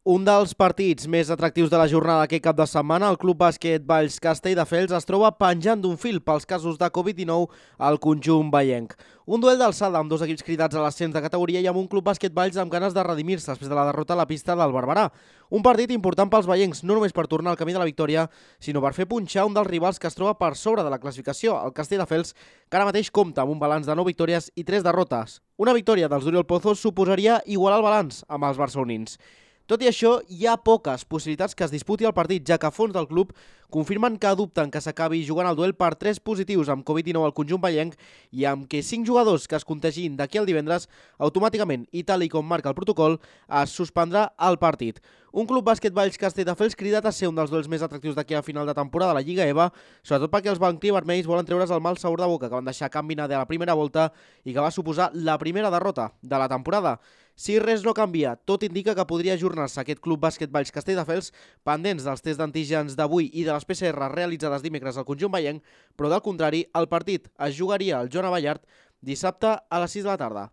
Un dels partits més atractius de la jornada aquest cap de setmana, el Club Bàsquet Valls Castelldefels es troba penjant d'un fil pels casos de Covid-19 al conjunt vallenc. Un duel d'alçada amb dos equips cridats a l'ascens de categoria i amb un Club Bàsquet Valls amb ganes de redimir-se després de la derrota a la pista del Barberà. Un partit important pels vallencs, no només per tornar al camí de la victòria, sinó per fer punxar un dels rivals que es troba per sobre de la classificació, el Castelldefels, que ara mateix compta amb un balanç de 9 victòries i 3 derrotes. Una victòria dels d'Oriol Pozos suposaria igualar el balanç amb els barcelonins. Tot i això, hi ha poques possibilitats que es disputi el partit, ja que a fons del club confirmen que dubten que s'acabi jugant el duel per 3 positius amb Covid-19 al conjunt vallenc i amb que 5 jugadors que es contegin d'aquí al divendres, automàticament, i tal com marca el protocol, es suspendrà el partit. Un Club Bàsquet Valls Castelldefels cridat a ser un dels duels més atractius d'aquí a final de temporada de la Lliga EVA, sobretot perquè els blanc-i-vermells volen treure's el mal sabor de boca que van deixar Can Vinader a la primera volta i que va suposar la primera derrota de la temporada. Si res no canvia, tot indica que podria ajornar-se aquest Club Bàsquet Valls Castelldefels pendents dels tests d'antígens d'avui i de les PCR realitzades dimecres al conjunt vallenc, però del contrari, el partit es jugaria al Joan Abellart dissabte a les 6 de la tarda.